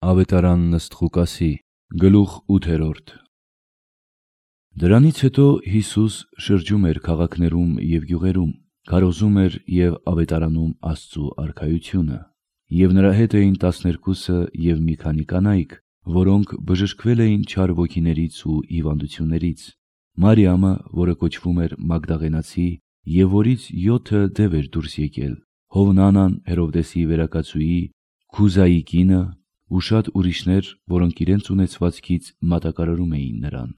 Ավետարանն ըստ Ղուկասի, գլուխ 8։ Դրանից հետո Հիսուս շրջում էր քաղաքներում և գյուղերում, քարոզում էր և ավետարանում Աստծու արքայությունը։ Եվ նրա հետ էին 12-ը և մի քանի կանայք, որոնք բժշկվել էին չար ոգիներից ու հիվանդություններից. Մարիամը, որը կոչվում էր Մագդաղենացի, և որից 7 դև էր դուրս եկել, Հովնանան, Հերովդեսի վերակացուի, Քուզայի կինը ու շատ ուրիշներ, որոնք իրենց ունեցվածքից մատակարարում էին նրան։